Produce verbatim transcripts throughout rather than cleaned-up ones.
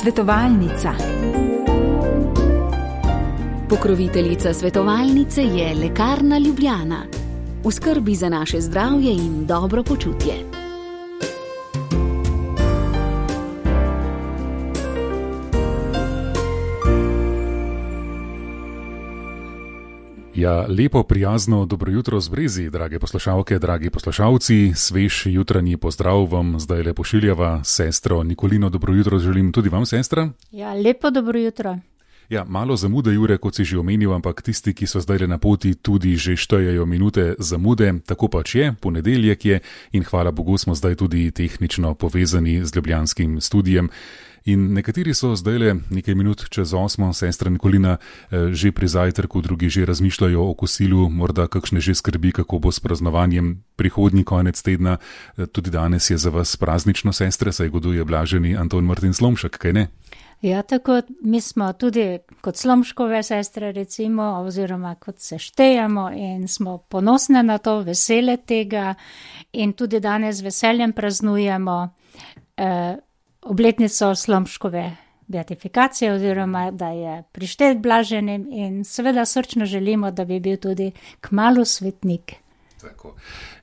Svetovalnica. Pokroviteljica svetovalnice je Lekarna Ljubljana. V skrbi za naše zdravje in dobro počutje. Ja, lepo, prijazno, dobro jutro z Brezi, drage poslušalke, dragi poslušalci. Svež jutranji pozdrav vam zdaj le pošiljava sestro Nikolino. Dobro jutro želim tudi vam, sestra. Ja, lepo dobro jutro. Ja, malo zamude, Jure, kot si že omenil, ampak tisti, ki so zdaj le na poti, tudi že štejejo minute zamude. Tako pač je, ponedeljek je in hvala Bogu smo zdaj tudi tehnično povezani z ljubljanskim studijem. In nekateri so zdaj le nekaj minut čez osmo, sestra Nikolina, že pri zajtrku, drugi že razmišljajo o kosilu, morda kakšne že skrbi, kako bo s praznovanjem prihodnji konec tedna. Tudi danes je za vas praznično, sestre, saj goduje blaženi Anton Martin Slomšek, kaj ne? Ja, tako mi smo tudi kot Slomškove sestre, recimo, oziroma kot se štejemo in smo ponosne na to, vesele tega in tudi danes veseljem praznujemo eh, obletnico Slomškove beatifikacije oziroma da je prištet blaženim in seveda srčno želimo, da bi bil tudi kmalu svetnik. Tako.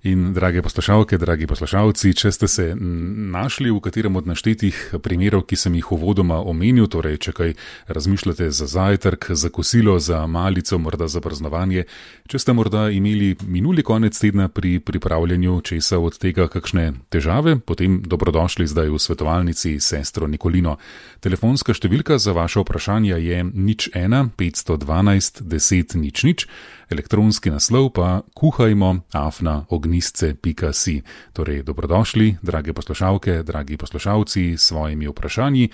In drage poslušalke, dragi poslušalci, če ste se našli v katerem od naštetih primerov, ki sem jih uvodoma omenil, torej če kaj razmišljate za zajtrk, za kosilo, za malico, morda za praznovanje, če ste morda imeli minuli konec tedna pri pripravljanju česa od tega kakšne težave, potem dobrodošli zdaj v svetovalnici sestro Nikolino. Telefonska številka za vaše vprašanja je nič ena petsto dvanajst deset nič nič, elektronski naslov pa kuhajmo afna ognjisce pika si. Torej, dobrodošli, drage poslušalke, dragi poslušalci, s svojimi vprašanji.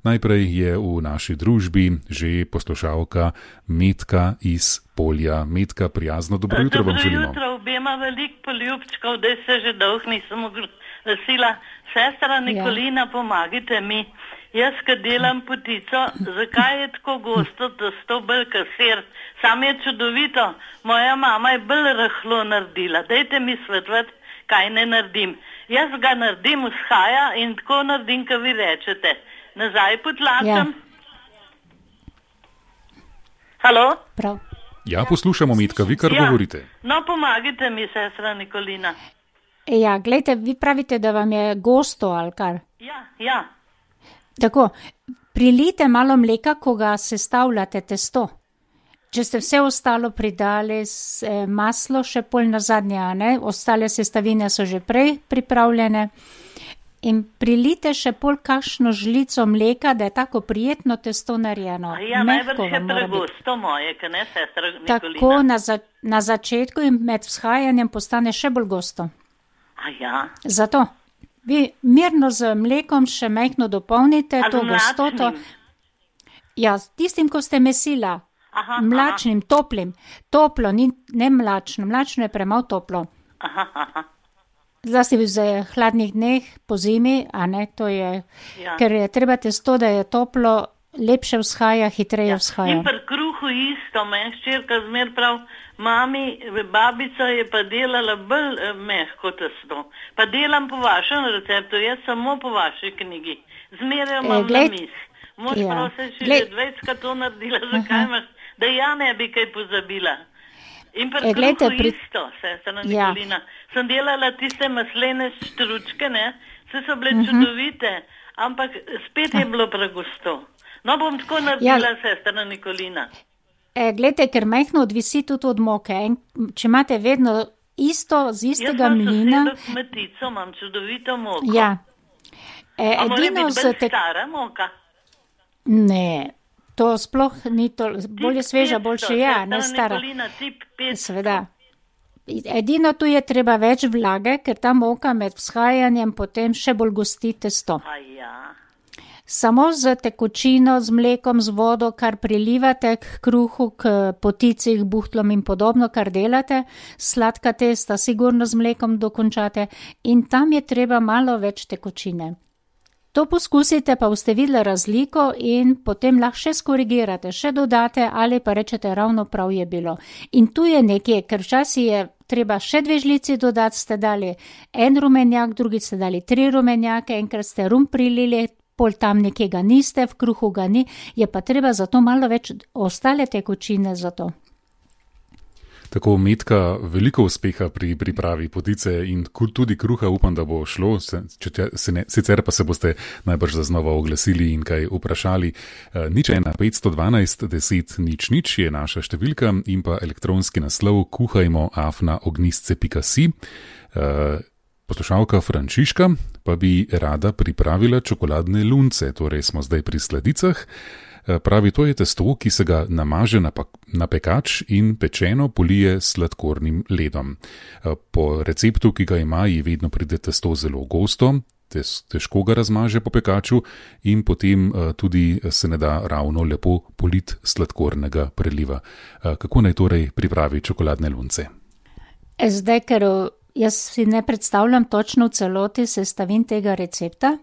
Najprej je v naši družbi že poslušalka Metka iz Polja. Metka, prijazno dobro jutro vam želimo. Dobro jutro, obema veliko poljubčkov, da se že dolg nisem oglasila. Sestra Nikolina, ja. Pomagite mi. Jaz, ko delam potico, zakaj je tako gosto, da sto bolj kasir? Sam je čudovito. Moja mama je bolj rahlo naredila. Dajte mi svetovati, kaj ne naredim. Jaz ga naredim vzhaja in tako naredim, ko vi rečete. Nazaj potlačam. Ja. Halo? Prav. Ja, poslušamo, Metka, vi kar ja. govorite. No, pomagite mi, sestra Nikolina. Ja, gledajte, vi pravite, da vam je gosto, ali kar? Ja, ja. Tako, prilijte malo mleka, ko ga sestavljate testo. Če ste vse ostalo pridali s, eh, maslo, še pol na zadnje, ne? Ostale sestavine so že prej pripravljene. In prilijte še pol kakšno žlico mleka, da je tako prijetno testo narejeno. Ja, najbrž je pregosto moje, ka ne, sestra Nikolina? Tako na, za, na začetku in med vzhajanjem postane še bolj gosto. A ja? Zato. Vi mirno z mlekom še majhno dopolnite to gostoto. Ja, tistim, ko ste mesila. Aha, mlačnim, aha. toplim. Toplo, ni, ne mlačno. Mlačno je premalo toplo. Aha, aha. Zlasti v hladnih dneh, po zimi, a ne, to je, ja. ker je treba testo, da je toplo, lepše vzhaja, hitreje ja. vzhaja. In pri kruhu isto, meni ščerka zmer prav, mami, babica je pa delala bolj eh, mehko testo. Pa delam po vašem receptu, jaz samo po vaši knjigi. Zmeraj imam e, gled, na mis. Mož ja. prosim, če že dvajsetkrat to naredila, zakaj imaš, da ja ne bi kaj pozabila. In pri e, kruhu glede, pri... isto, sestra Nikolina. Ja. Sem delala tiste maslene štručke, ne, vse so bile uh-huh. čudovite, ampak spet je bilo pregusto. No, bom tako naredila, ja. sestra Nikolina. E, glede, ker majhno odvisi tudi od moke. En, če imate vedno isto, z istega mlina... Jaz sem sosedla kmetico, imam čudovito moko. Ja. E, A mora biti bolj te... stara moka? Ne, to sploh ni to, bolje sveža, boljše ja, ne stara. Nikolina, tip petsto. Sveda. Edino tu je treba več vlage, ker ta moka med vzhajanjem potem še bolj gosti testo. A ja. Samo z tekočino, z mlekom, z vodo, kar prilivate k kruhu, k potici, k buhtlom in podobno, kar delate, sladka testa sigurno z mlekom dokončate in tam je treba malo več tekočine. To poskusite, pa boste videli razliko in potem lahko še skorigirate, še dodate ali pa rečete ravno prav je bilo. In tu je nekje, ker včasih je treba še dve žlici dodati, ste dali en rumenjak, drugi ste dali tri rumenjake, enkrat ste rum prilili, pol tam nekega niste, v kruhu ga ni, je pa treba zato malo več ostale tekočine za to. Tako, Metka, veliko uspeha pri pripravi potice in tudi kruha, upam, da bo šlo, se, če, se ne, sicer pa se boste najbrž zaznova oglasili in kaj vprašali. E, nič ena petsto dvanajst deset nič nič je naša številka in pa elektronski naslov kuhajmo afna ognistce pika si. E, poslušalka Frančiška pa bi rada pripravila čokoladne lunce, torej smo zdaj pri sladicah. Pravi, to je testo, ki se ga namaže na, na pekač in pečeno polije s sladkornim ledom. Po receptu, ki ga ima, ji vedno pride testo zelo gosto, tes, težko ga razmaže po pekaču in potem tudi se ne da ravno lepo polit sladkornega preliva. Kako naj torej pripravi čokoladne lunce? Zdaj, ker jaz si ne predstavljam točno v celoti sestavin tega recepta,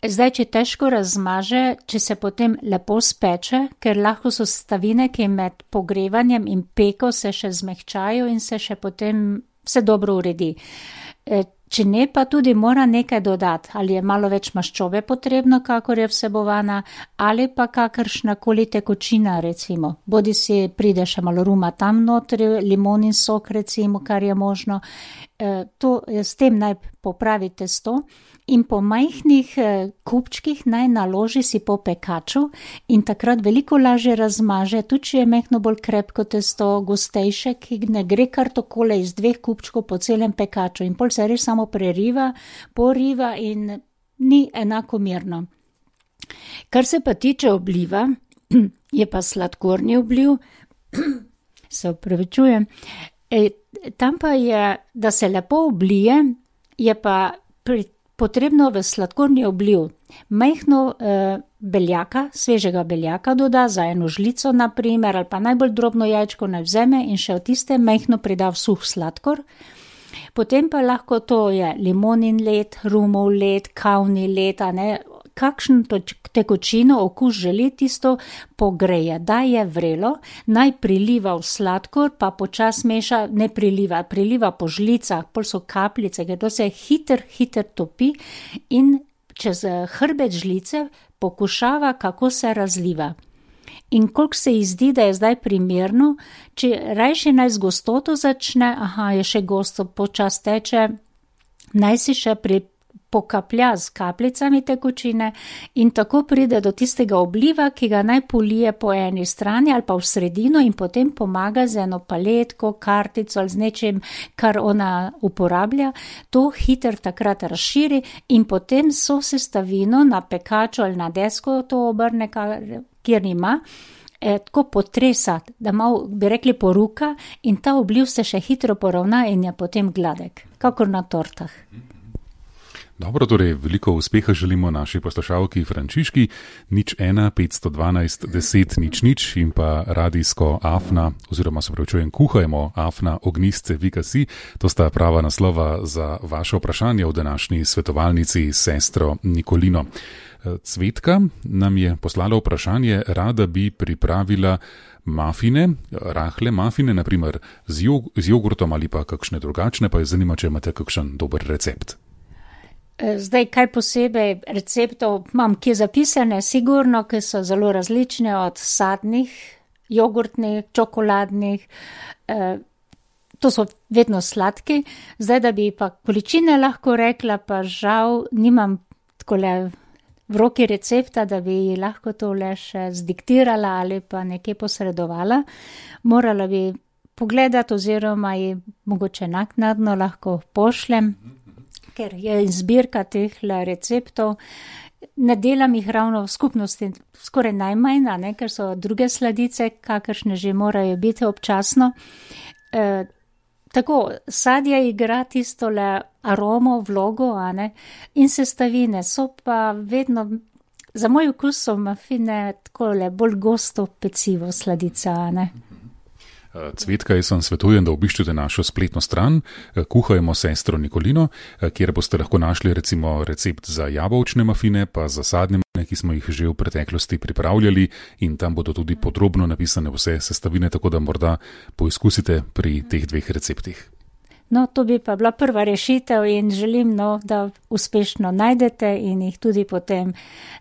zdaj, če težko razmaže, če se potem lepo speče, ker lahko so sestavine, ki med pogrevanjem in peko se še zmehčajo in se še potem vse dobro uredi. Če ne, pa tudi mora nekaj dodati, ali je malo več maščobe potrebno, kakor je vsebovana, ali pa kakršnakoli tekočina, recimo. Bodi si pride še malo ruma tam notri, limonin sok, recimo, kar je možno. To, s tem naj popravi testo in po majhnih kupčkih naj naloži si po pekaču in takrat veliko lažje razmaže, tudi če je mehno bolj krepko testo, gostejše, ki ne gre kar takole iz dveh kupčkov po celem pekaču in pol se res samo preriva, poriva in ni enakomerno. Kar se pa tiče obliva, je pa sladkorni obliv, se opravičujem, e, tam pa je, da se lepo oblije, je pa pri potrebno v sladkorni obliv majhno eh, beljaka, svežega beljaka doda za eno žlico naprimer, ali pa najbolj drobno jajčko naj vzeme in še v tiste majhno prida v suh sladkor. Potem pa lahko to je limonin led, rumov led, kavni led, a ne, kakšno tekočino okus želi, tisto pogreje, da je vrelo, naj priliva v sladkor, pa počas meša, ne priliva, priliva po žlicah, pol so kapljice, ker to se hiter, hiter topi in čez hrbet žlice pokušava, kako se razliva. In koliko se ji zdi, da je zdaj primerno, če rajši naj z gostoto začne, aha, je še gosto, počas teče, naj si še pri pokaplja z kapljicami tekočine in tako pride do tistega obliva, ki ga naj polije po eni strani ali pa v sredino in potem pomaga z eno paletko, kartico ali z nečim, kar ona uporablja, to hiter takrat razširi in potem so sestavino na pekaču ali na desko to obrne, kjer ima, eh, tako potresa, da malo bi rekli poruka in ta obliv se še hitro poravna in je potem gladek, kakor na tortah. Dobro, torej veliko uspeha želimo naši poslušalki Frančiški, nič ena petsto dvanajst deset nič nič in pa radijsko afna, oziroma se pravičujem, kuhajmo afna ognistce pika si. To sta prava naslova za vaše vprašanje v današnji svetovalnici s sestro Nikolino. Cvetka nam je poslala vprašanje, rada bi pripravila mafine, rahle mafine, naprimer z, jog- z jogurtom ali pa kakšne drugačne, pa je zanima, če imate kakšen dober recept. Zdaj, kaj posebej receptov imam, ki je zapisane, sigurno, ki so zelo različne od sadnih, jogurtnih, čokoladnih, eh, to so vedno sladki. Zdaj, da bi pa količine lahko rekla, pa žal nimam takole v roki recepta, da bi lahko to le še zdiktirala ali pa nekje posredovala. Morala bi pogledati oziroma ji mogoče naknadno lahko pošljem, ker je zbirka teh receptov, ne delam jih ravno v skupnosti, skoraj najmanj, ne, ker so druge sladice, kakršne že morajo biti občasno. E, tako, sadje igra tistole aromo, vlogo, a ne, in sestavine so pa vedno, za moj okus so mafine takole bolj gosto pecivo sladica, a ne. Cvetka, jaz vam svetujem, da obiščete našo spletno stran Kuhajmo sestro Nikolino, kjer boste lahko našli recimo recept za jabolčne mafine, pa za sadne mafine, ki smo jih že v preteklosti pripravljali in tam bodo tudi podrobno napisane vse sestavine, tako da morda poizkusite pri teh dveh receptih. No, to bi pa bila prva rešitev in želim, no, da uspešno najdete in jih tudi potem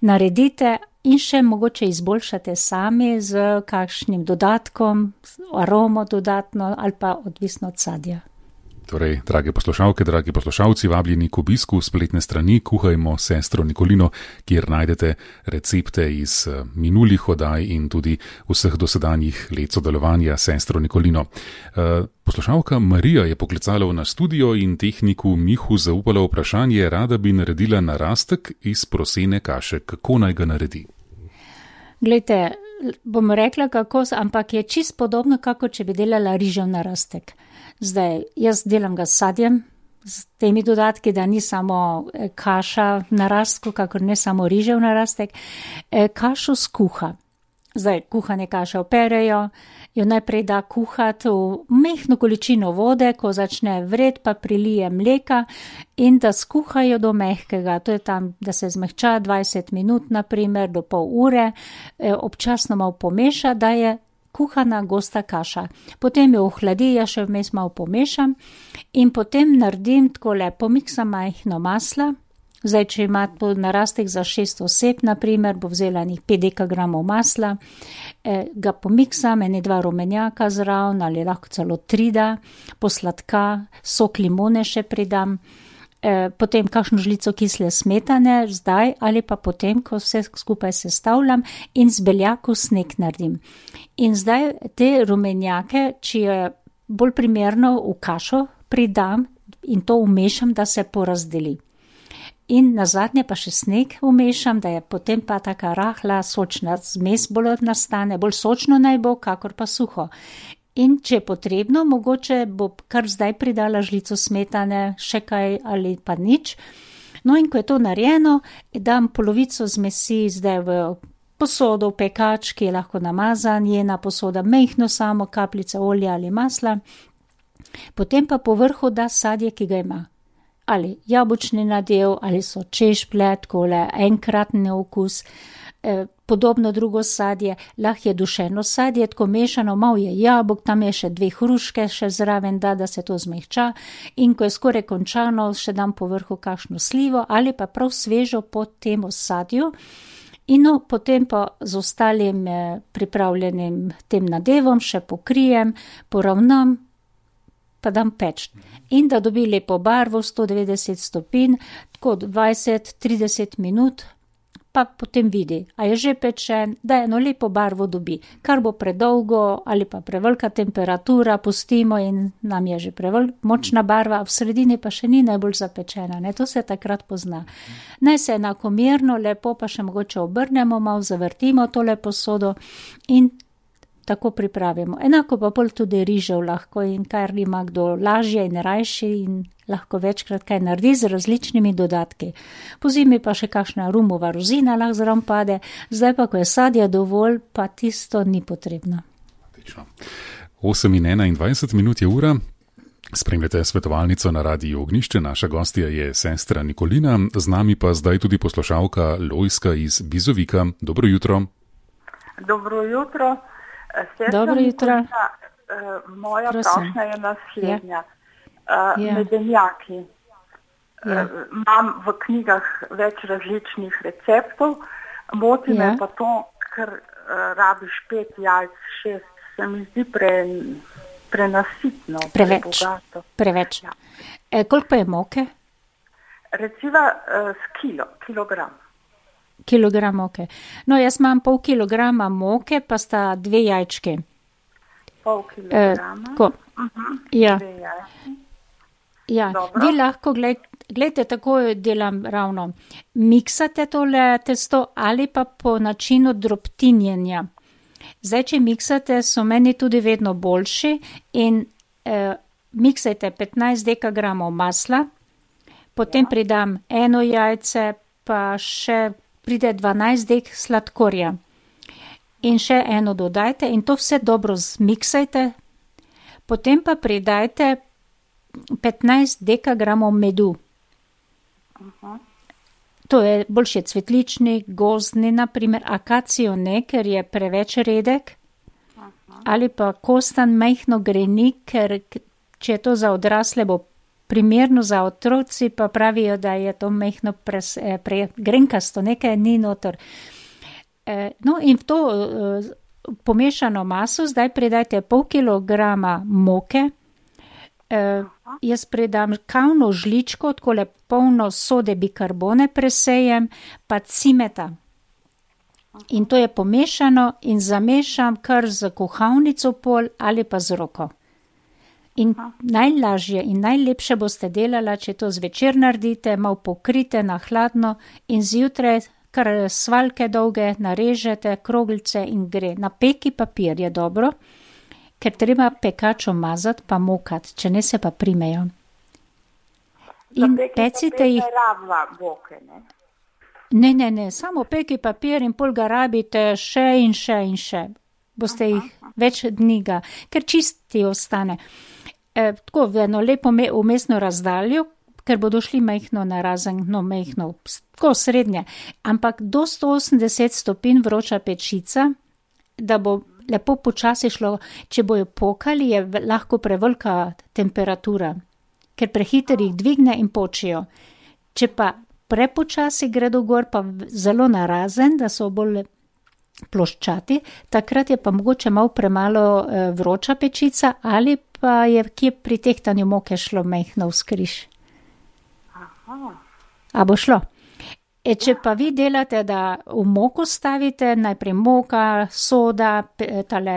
naredite in še mogoče izboljšate sami z kakšnim dodatkom, aromo dodatno ali pa odvisno od sadja. Torej, drage poslušalke, dragi poslušalci, vabljeni k obisku spletne strani Kuhajmo s sestro Nikolino, kjer najdete recepte iz minulih oddaj in tudi vseh dosedanjih let sodelovanja s sestro Nikolino. Poslušalka Marija je poklicala v naš studio in tehniku Mihu zaupala vprašanje, rada bi naredila narastek iz prosene kaše. Kako naj ga naredi? Glejte, bom rekla kako, ampak je čist podobno, kako če bi delala rižev narastek. Zdaj, jaz delam ga s sadjem, s temi dodatki, da ni samo kaša v narastku, kakor ne samo rižev narastek, kašo skuha. Zdaj, kuhane kaše operejo, jo najprej da kuhati v mehno količino vode, ko začne vred, pa prilije mleka in da skuhajo do mehkega. To je tam, da se zmehča dvajset minut, naprimer, do pol ure, občasno malo pomeša, da je kuhana gosta kaša. Potem jo ohladi, ja še vmes malo pomešam in potem naredim takole, pomiksam majhno masla. Zdaj, če imate narastek za šest oseb, naprimer, bo vzela njih pet dekagramov masla, eh, ga pomiksam, ene dva rumenjaka zraven ali lahko celo tri da, posladka, sok limone še pridam, eh, potem kakšno žlico kisle smetane, zdaj ali pa potem, ko vse skupaj sestavljam in z beljaku sneg naredim. In zdaj te rumenjake, če je bolj primerno v kašo pridam in to umešam, da se porazdeli. In nazadnje pa še sneg umešam, da je potem pa taka rahla, sočna zmes bolj nastane, bolj sočno naj bo, kakor pa suho. In če je potrebno, mogoče bo kar zdaj pridala žlico smetane, še kaj ali pa nič. No in ko je to narejeno, dam polovico zmesi zdaj v posodo, v pekač, ki je lahko namazan, jena posoda, mehno samo kapljice olja ali masla. Potem pa po vrhu da sadje, ki ga ima. Ali jabolčni nadev, ali so češplje, takole enkratni okus, eh, podobno drugo sadje, lahko je dušeno sadje, tako mešano, malo je jabolk, tam je še dve hruške še zraven, da, da se to zmehča in ko je skoraj končano, še dam po vrhu kakšno slivo ali pa prav svežo pod tem sadju. In no, potem pa z ostalim eh, pripravljenim tem nadevom še pokrijem, poravnam, pa dam peč. In da dobi lepo barvo, sto devetdeset stopinj, tako dvajset do trideset minut, pa potem vidi, a je že pečen, da eno lepo barvo dobi. Kar bo predolgo ali pa prevelika temperatura, pustimo in nam je že prevelika močna barva, v sredini pa še ni najbolj zapečena, ne, to se takrat pozna. Naj se enakomerno, lepo pa še mogoče obrnemo, malo zavrtimo tole posodo in tako pripravimo. Enako pa pol tudi rižev lahko in kar ima kdo lažje in rajši in lahko večkrat kaj naredi z različnimi dodatki. Po zimi pa še kakšna rumova rozina lahko zraven pade, zdaj pa, ko je sadja dovolj, pa tisto ni potrebno. osem in enaindvajset minut je ura. Spremljate svetovalnico na Radiu Ognjišče, naša gostja je sestra Nikolina, z nami pa zdaj tudi poslušalka Lojska iz Bizovika. Dobro jutro. Dobro jutro. Sestra Dobro jutro. Nikolina, uh, moja prošnja je naslednja. Uh, Ja. Medenjaki. Ja. Uh, imam v knjigah več različnih receptov, moti Ja. me pa to, ker uh, rabiš pet jajc, šest, se mi zdi pre, prenasitno, Preveč. prebogato. Preveč. Ja. E, koliko pa je moke? Reciva uh, s kilo, kilogram. Kilogram moke. No, jaz imam pol kilograma moke, pa sta dve jajčke. Pol E, kilograma. ko, Uh-huh. ja, Dve jajci. ja. Dobro. Vi lahko, gled, gledajte, tako delam ravno. Miksate tole testo ali pa po načinu drobtinjenja. Zdaj, če miksate, so meni tudi vedno boljši in eh, miksajte petnajst dekagramov masla, potem ja. pridam eno jajce, pa še pride dvanajst dek sladkorja. In še eno dodajte in to vse dobro zmiksajte, potem pa pridajte petnajst dekagramov medu. Uh-huh. To je boljše cvetlični, gozdni, naprimer akacijo ne, ker je preveč redek, uh-huh. ali pa kostan majhno greni, ker če je to za odrasle, bo primerno, za otroci pa pravijo, da je to mehno pres, eh, pre, grenkasto, nekaj ni noter. Eh, no in v to eh, pomešano maso zdaj pridajte pol kilograma moke, eh, jaz pridam kavno žličko, takole polno sode bikarbone presejem, pa cimeta. In to je pomešano in zamešam kar z kuhalnico pol ali pa z roko. In najlažje in najlepše boste delala, če to zvečer naredite, malo pokrite na hladno in zjutraj kar svaljke dolge narežete, kroglice in gre. Na peki papir je dobro, ker treba pekačo mazati pa mokat, če ne se pa primejo. In pecite jih. Ne, ne, ne, samo peki papir in pol ga rabite še in še in še. Boste jih več dni ga, ker čisti ostane. E, tako v eno lepo umestno razdaljo, ker bodo šli majhno narazen, no majhno, tako srednje. Ampak do sto osemdeset stopinj vroča pečica, da bo lepo počasi šlo, če bojo pokali, je lahko prevelika temperatura, ker prehiter jih dvigne in počijo. Če pa prepočasi gredo gor, pa zelo narazen, da so bolj ploščati, takrat je pa mogoče malo premalo eh, vroča pečica ali pa je kje pri tehtanju moke šlo majhno vzkriž. A bo šlo? E, če pa vi delate, da v moko stavite, najprej moka, soda, tale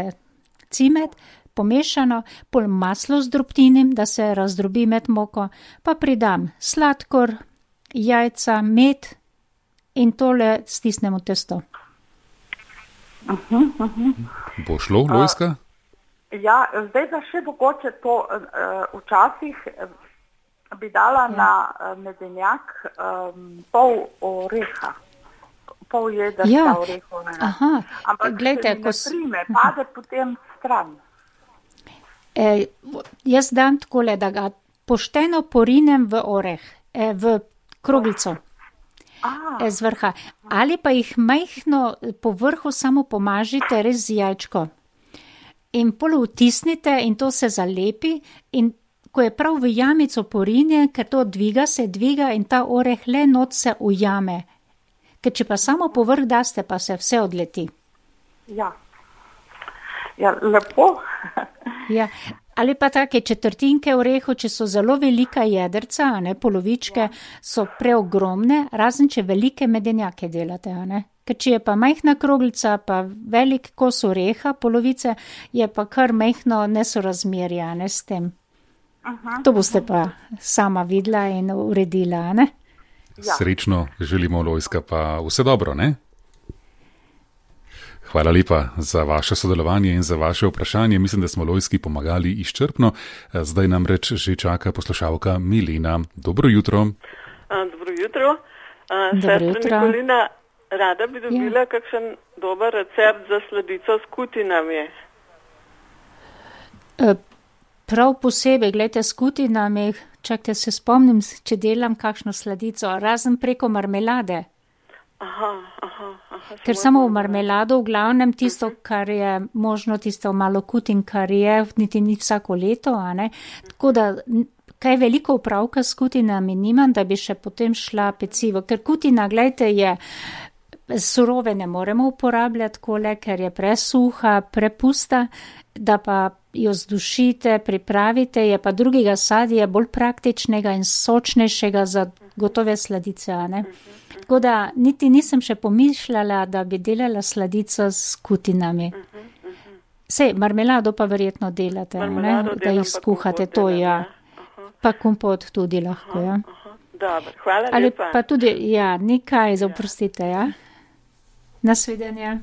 cimet, pomešano, pol maslo z drobtinim, da se razdrobi med moko, pa pridam sladkor, jajca, med in tole stisnemo testo. Uh-huh, uh-huh. Bo šlo, Lojzka? Uh, ja, zdaj pa še mogoče to uh, včasih uh, bi dala ja. na uh, medenjak um, pol oreha, pol jedrca ja. orehovega. Ampak glejte, ko se mi ne prime, pade potem stran. E, jaz dam takole, da ga pošteno porinem v oreh, e, v kroglico. Ah. Z vrha. Ali pa jih majhno po vrhu samo pomažite res z jajčko. In pol vtisnite in to se zalepi in ko je prav v jamico porinjen, ker to dviga, se dviga in ta oreh le not se ujame. Ker če pa samo po vrh daste, pa se vse odleti. Ja, ja lepo. Ja. Ali pa take četrtinke orehu, če so zelo velika jedrca, a ne, polovičke, so preogromne, razen če velike medenjake delate, a ne. Ker če je pa majhna kroglica, pa velik kos oreha, polovice, je pa kar majhno nesorazmerje, a ne, s tem. Aha. To boste pa sama videla in uredila, a ne. Ja. Srečno želimo, Lojzka, pa vse dobro, ne? Hvala lepa za vaše sodelovanje in za vaše vprašanje. Mislim, da smo Lojzki pomagali izčrpno. Zdaj nam reč že čaka poslušalka Milena. Dobro jutro. A, dobro jutro. A, Sestra Nikolina, rada bi dobila ja. kakšen dober recept za sladico s kutinami. E, prav posebej, gledajte, s kutinami, čakajte, se spomnim, če delam kakšno sladico, razen preko marmelade. Aha, aha, aha. Ker samo v marmelado, v glavnem tisto, kar je možno, tisto malo kutin, kar je, niti ni vsako leto, a ne. Tako da, kaj veliko upravka s kutinami nimam, da bi še potem šla pecivo. Ker kutina, gledajte, je, surove ne moremo uporabljati kole, ker je presuha, prepusta, da pa jo zdušite, pripravite, je pa drugega sadja bolj praktičnega in sočnejšega za gotove sladice, a ne. Tako da niti nisem še pomišljala, da bi delala sladico s kutinami. Uh-huh, uh-huh. Sej, marmelado pa verjetno delate, marmelado ne? Da jih skuhate, to ja. Uh-huh. Pa kompot tudi lahko, uh-huh, ja. Uh-huh. Dobar, hvala ali lepa. Pa tudi, ja, nekaj, zaprostite, ja. Nasvidenje.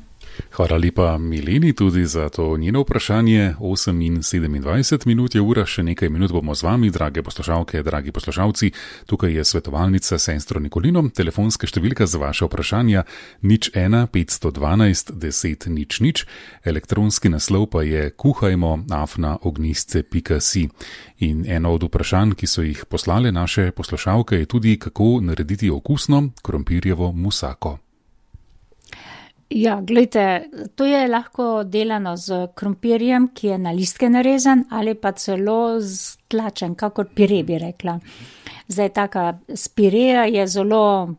Hvala lepa Mileni tudi za to njeno vprašanje. osem in sedemindvajset minut je ura, še nekaj minut bomo z vami, drage poslušalke, dragi poslušalci. Tukaj je svetovalnica sestro Nikolino, telefonska številka za vaše vprašanja nič ena petsto dvanajst deset nič nič, elektronski naslov pa je kuhajmo afna ognjisce pika si. In eno od vprašanj, ki so jih poslale naše poslušalke, je tudi, kako narediti okusno krompirjevo musako. Ja, gledajte, to je lahko delano z krompirjem, ki je na listke narezan ali pa celo z tlačen, kakor pire bi rekla. Zdaj, taka spireja je zelo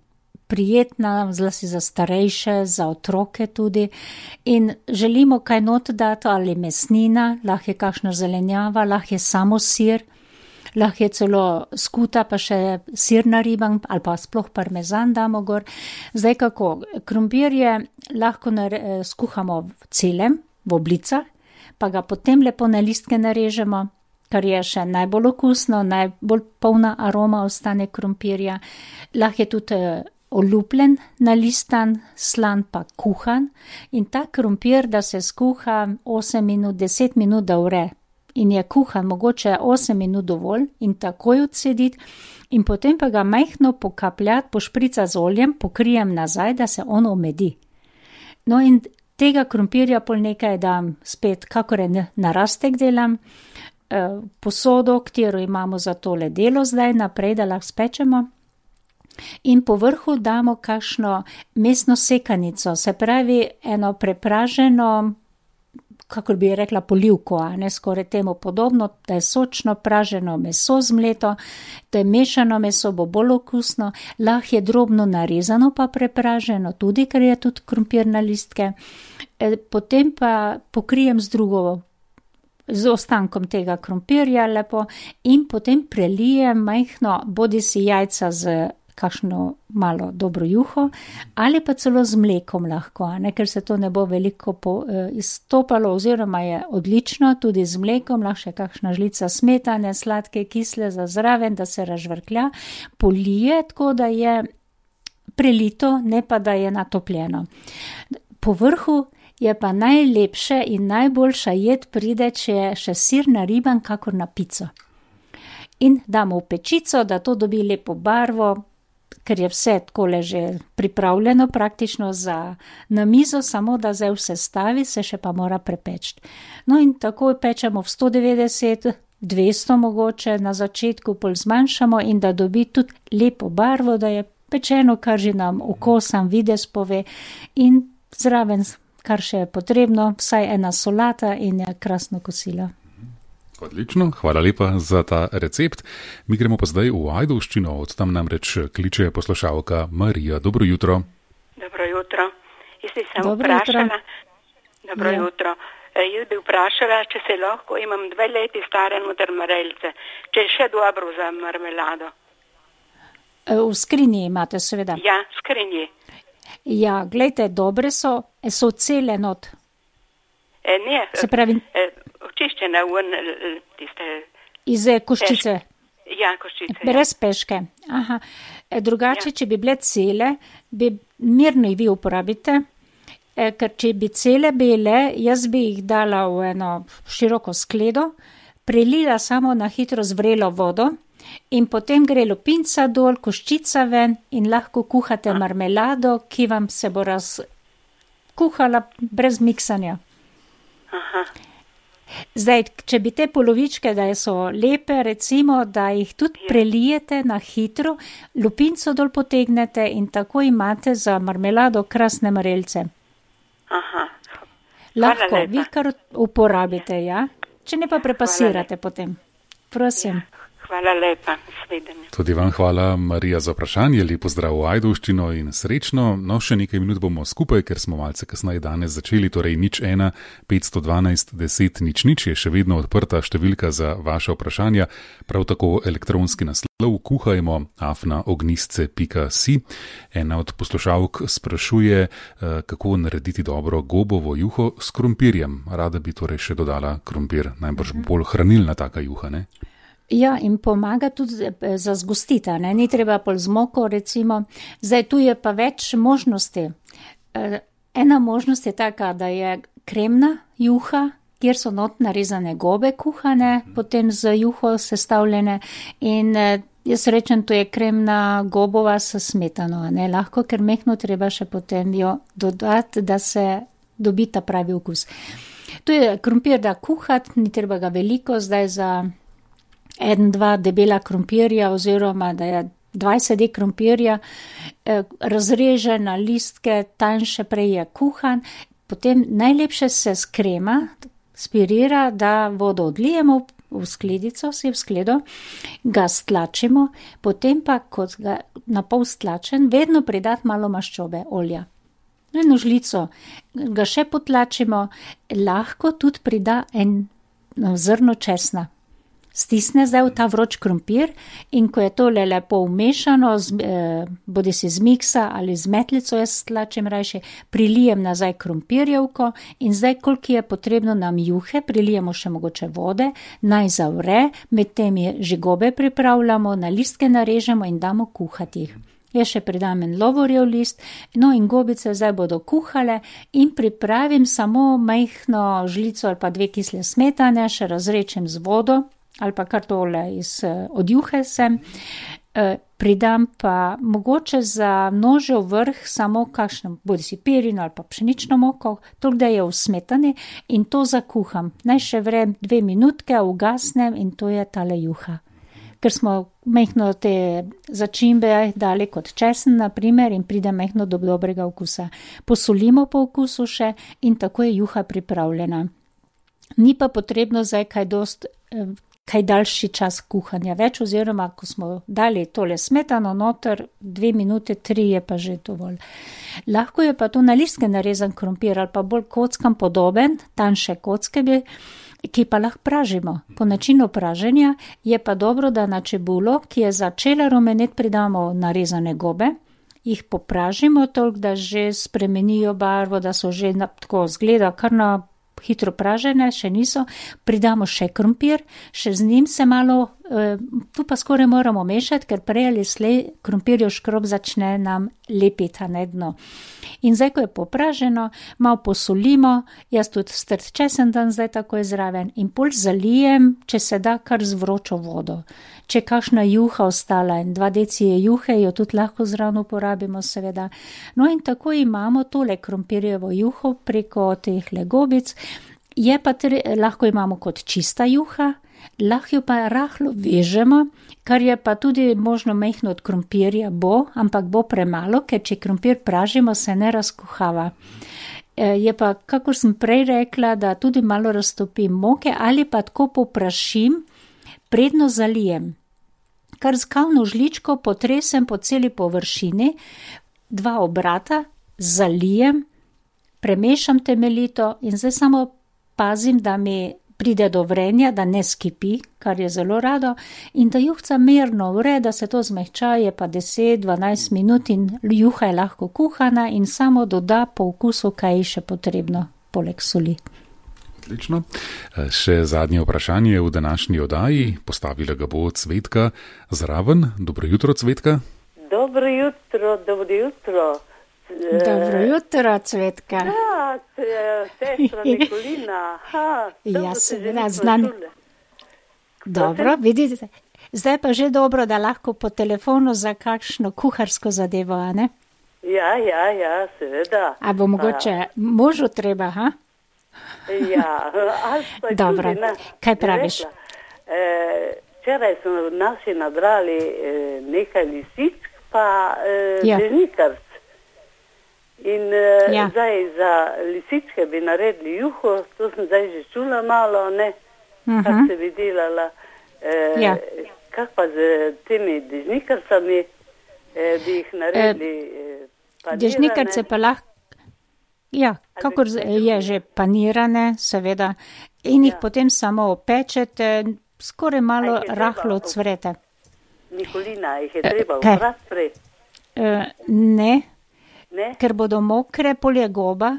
prijetna, zlasti za starejše, za otroke tudi. In želimo kaj not dati, ali mesnina, lahko je kakšna zelenjava, lahko je samo sir, lahko je celo skuta, pa še sir nariban, ali pa sploh parmezan damo gor. Zdaj kako, krompirje lahko nare, skuhamo v celem, v oblicah, pa ga potem lepo na listke narežemo, kar je še najbolj okusno, najbolj polna aroma ostane krompirja. Lahko je tudi olupljen, nalistan, slan pa kuhan in ta krompir, da se skuha osem minut, deset minut, da vre. In je kuhan mogoče osem minut dovolj in takoj odsediti in potem pa ga majhno pokapljati, pošpricati z oljem, pokrijem nazaj, da se on omedi. No in tega krompirja pol nekaj dam spet, kakor je narastek delam, posodo, katero imamo za tole delo zdaj naprej, da lahko spečemo. In po vrhu damo kakšno mesno sekanico, se pravi eno prepraženo, kakor bi rekla, polivko, a ne skoraj temu podobno, da je sočno praženo meso zmleto, da je mešano meso, bo bolj okusno, lahko je drobno narezano pa prepraženo, tudi ker je tudi krompir na listke. Potem pa pokrijem z drugo, z ostankom tega krompirja lepo in potem prelijem majhno bodisi jajca z kakšno malo dobro juho ali pa celo z mlekom lahko, ne, ker se to ne bo veliko po, eh, izstopalo oziroma je odlično tudi z mlekom, lahko še kakšna žlica smetane, sladke, kisle za zraven, da se razžvrklja, polije tako, da je prelito, ne pa da je natopljeno. Po vrhu je pa najlepše in najboljša jed pride, če je še sir nariban kakor na pico. In damo v pečico, da to dobi lepo barvo, ker je vse takole že pripravljeno praktično za na mizo, samo da zdaj vse stavi, se še pa mora prepeči. No in tako pečemo v sto devetdeset, dvesto mogoče, na začetku pol zmanjšamo in da dobi tudi lepo barvo, da je pečeno, kar že nam okusan videz pove in zraven, kar še je potrebno, vsaj ena solata in je krasno kosilo. Odlično, hvala lepa za ta recept. Mi gremo pa zdaj v Ajdovščino, od tam namreč kliče poslušalka Marija. Dobro jutro. Dobro jutro. Jaz bi se Dobro vprašala, jutro. Dobro Ja. jutro. E, Jaz bi vprašala, če se lahko, imam dve leti stare noter marelice, če je še dobro za marmelado. V skrinji imate seveda. Ja, skrinji. Ja, glejte, dobre so, so cele not. E, ne, Se pravi, e, očiščene ven tiste, iz koščice. ja, koščice. Ja. Brez peške. Aha. E, drugače, ja. Če bi bile cele, bi mirno jih vi uporabite, e, ker če bi cele bile, jaz bi jih dala v eno široko skledo, prelila samo na hitro z vrelo vodo in potem gre lupinca dol, koščica ven in lahko kuhate marmelado, ki vam se bo razkuhala brez miksanja. Aha. Zdaj, če bi te polovičke, da so lepe, recimo, da jih tudi prelijete na hitro, lupinco dol potegnete in tako imate za marmelado krasne marelice. Aha. Lahko, lepa. vi kar uporabite, ja? Če ne pa prepasirate potem. Prosim. Hvala lepa, svidenje. Tudi vam hvala, Marija, za vprašanje. Lep pozdrav v Ajdovščino in srečno. No, še nekaj minut bomo skupaj, ker smo malce kasneje danes začeli, torej nič ena, petsto dvanajst, deset, nič nič je še vedno odprta številka za vaše vprašanja. Prav tako elektronski naslov kuhajmo afna ognistce pika si. Ena od poslušalk sprašuje, kako narediti dobro gobovo juho s krompirjem. Rada bi torej še dodala krompir, najbrž bolj hranilna taka juha, ne? Ja, in pomaga tudi za zgostita, ne? Ni treba pol z moko, recimo. Zdaj, tu je pa več možnosti. Ena možnost je taka, da je kremna juha, kjer so not narezane gobe kuhane, potem z juho sestavljene in jaz rečem, to je kremna gobova s smetano, ne? Lahko, ker mehno treba še potem jo dodati, da se dobi ta pravi okus. Tu je krompir, da kuhati, ni treba ga veliko, zdaj za en, dva debela krompirja oziroma da je dvajset dek krompirja, razreže na listke, tanjše prej je kuhan, potem najlepše se s krema spirira, da vodo odlijemo v skledico, si v skledo, ga stlačimo, potem pa, kot ga na pol stlačen, vedno pridati malo maščobe, olja. Eno žlico ga še potlačimo, lahko tudi prida en zrno česna. Stisne zdaj v ta vroč krompir in ko je tole lepo umešano, eh, bodi si z miksa ali z metlico, jaz stlačim rajše, prilijem nazaj krompirjevko in zdaj, koliko je potrebno nam juhe, prilijemo še mogoče vode, naj zavre, med tem je že gobe pripravljamo, na listke narežemo in damo kuhati jih. Jaz še pridam en lovorjev list, no in gobice zdaj bodo kuhale in pripravim samo majhno žlico ali pa dve kisle smetane, še razrečem z vodo, ali pa kar tole iz, od juhe sem, e, pridam pa mogoče za nožev vrh samo kakšno, bodi si perino ali pa pšenično moko, toliko da je v smetani in to zakuham. Naj še vrem dve minutke, ugasnem in to je tale juha. Ker smo majhno te začimbe dali kot česen, na primer, in pride majhno do dobrega okusa. Posolimo po okusu še in tako je juha pripravljena. Ni pa potrebno zdaj kaj dost, kaj daljši čas kuhanja več, oziroma ko smo dali tole smetano noter, dve minute, tri je pa že dovolj. Lahko je pa to na listke narezan krompir ali pa bolj kockam podoben, tanjše kocke bi, ki pa lahko pražimo. Po načinu praženja je pa dobro, da na čebulo, ki je začela rumeneti, pridamo narezane gobe, jih popražimo toliko, da že spremenijo barvo, da so že na, tako zgleda kar na hitro pražene, še niso, pridamo še krompir, še z njim se malo, eh, tu pa skoraj moramo mešati, ker prej ali slej krompirjev škrob začne nam lepiti na dno. In zdaj, ko je popraženo, malo posolimo, jaz tudi strt česen dan zdaj takoj zraven in pol zalijem, če se da, kar z vročo vodo. Če kakšna juha ostala in dva deci je juhe, jo tudi lahko zraven uporabimo, seveda. No in tako imamo tole krompirjevo juho preko teh legobic. Je pa tre, lahko imamo kot čista juha, lahko jo pa rahlo vežemo, kar je pa tudi možno majhno od krompirja bo, ampak bo premalo, ker če krompir pražimo, se ne razkuhava. Je pa, kakor sem prej rekla, da tudi malo raztopim moke ali pa tako poprašim, predno zalijem. Kar z kavno žličko potresem po celi površini, dva obrata, zalijem, premešam temeljito in zdaj samo pazim, da mi pride do vrenja, da ne skipi, kar je zelo rado, in da juhca mirno vre, da se to zmehča, je pa deset do dvanajst minut in juha je lahko kuhana in samo doda po okusu, kaj je še potrebno, poleg soli. Odlično. Še zadnje vprašanje v današnji oddaji, postavila ga bo Cvetka zraven. Dobro jutro, Cvetka. Dobro jutro, dobro jutro. Dobro jutro, Cvetka. Ja, sestra Nikolina. Ha, ja, seveda, znam. Dobro, vidite. Zdaj pa že dobro, da lahko po telefonu za kakšno kuharsko zadevo, a ne? Ja, ja, ja, seveda. A bo mogoče a... možu treba, ha? Ja, ali pa dobro, tudi, ne, kaj praviš? Včeraj e, smo naši nabrali e, nekaj lisičk, pa e, ja. dežnikarc. In e, ja. zdaj za lisičke bi naredili juho, to sem zdaj že čula malo, ne, uh-huh. kak se bi delala. E, ja. Kak pa z temi dežnikarcami e, bi jih naredili e, panirane? Dežnikarce pa lahko. Ja, kakor je že panirane, seveda, in jih ja. potem samo opečete, skoraj malo rahlo odsvrete. Nikolina, jih je treba oprati prej? Uh, ne, ne, ker bodo mokre, polje goba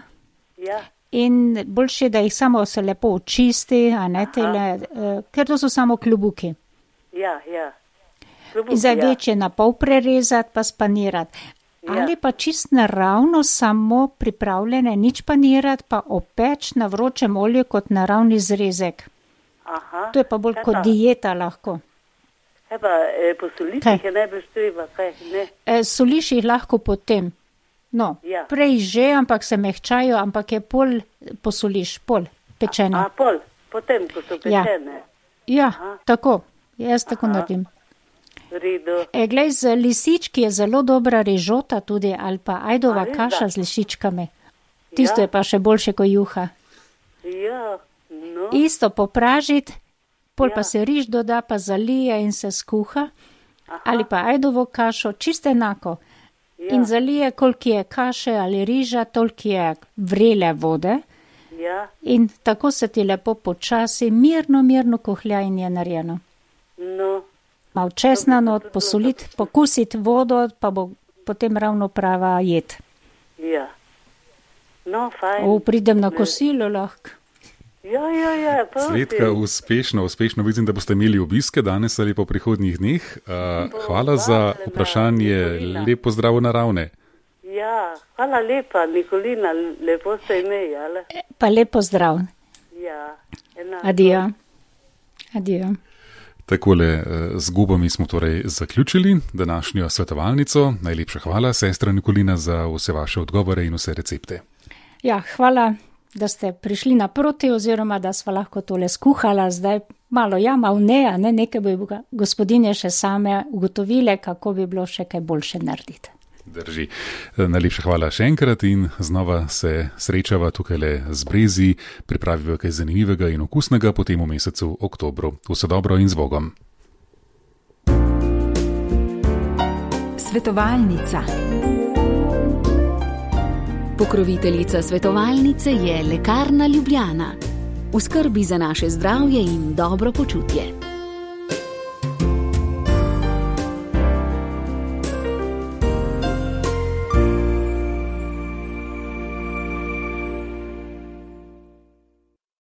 ja. in boljše, da jih samo se lepo očisti, a ne tele, uh, ker to so samo klubuki. Ja, ja. Klubuki, zdaj ja. večje na pol prerezati, pa spanirati. Ja. Ali pa čist naravno, samo pripravljene, nič panirati, pa opeč na vročem olju kot naravni zrezek. Aha. To je pa bolj kot dieta lahko. Epa, e, posoliš jih je najbolj treba, kaj ne? E, soliš jih lahko potem. No, ja. prej že, ampak se mehčajo, ampak je pol posoliš, pol pečene. A, a pol, potem, ko so pečene. Ja, ja tako, jaz tako Aha. naredim. E, glej, z lisički je zelo dobra rižota tudi, ali pa ajdova A, res, kaša da? z lisičkami. Tisto Ja. je pa še boljše kot juha. Ja, no. Isto popražiti, pol Ja. pa se riž doda, pa zalije in se skuha. Aha. Ali pa ajdovo kašo, čisto enako. Ja. In zalije, koliko je kaše ali riža, toliko je vrele vode. Ja, In tako se ti lepo počasi, mirno, mirno kohlja in je narejeno. no. Mal česna not, posoliti, pokusiti vodo, pa bo potem ravno prava jed. Ja. No, fajn. O, pridem na kosilo lahko. Ja, ja, ja, prosim. Svetka, uspešno, uspešno vidim, da boste imeli obiske danes ali po prihodnjih dneh. Uh, hvala za vprašanje, lep pozdrav naravne. Ja, hvala lepa, Nikolina, lepo ste imeli, ale? Pa lepo zdrav. Ja, enako. Adijo. Adijo. Takole z gubami smo torej zaključili današnjo svetovalnico. Najlepša hvala, sestra Nikolina, za vse vaše odgovore in vse recepte. Ja, hvala, da ste prišli naproti oziroma da sva lahko tole skuhala. Zdaj malo ja, malo ne, a ne, nekaj bi gospodinje še same ugotovile, kako bi bilo še kaj boljše narediti. Drži. Najlepša hvala še enkrat in znova se srečava tukaj z Brezi, pripraviva kaj zanimivega in okusnega potem v mesecu oktobru. Vse dobro in z Bogom. Svetovalnica. Pokroviteljica svetovalnice je Lekarna Ljubljana. V skrbi za naše zdravje in dobro počutje.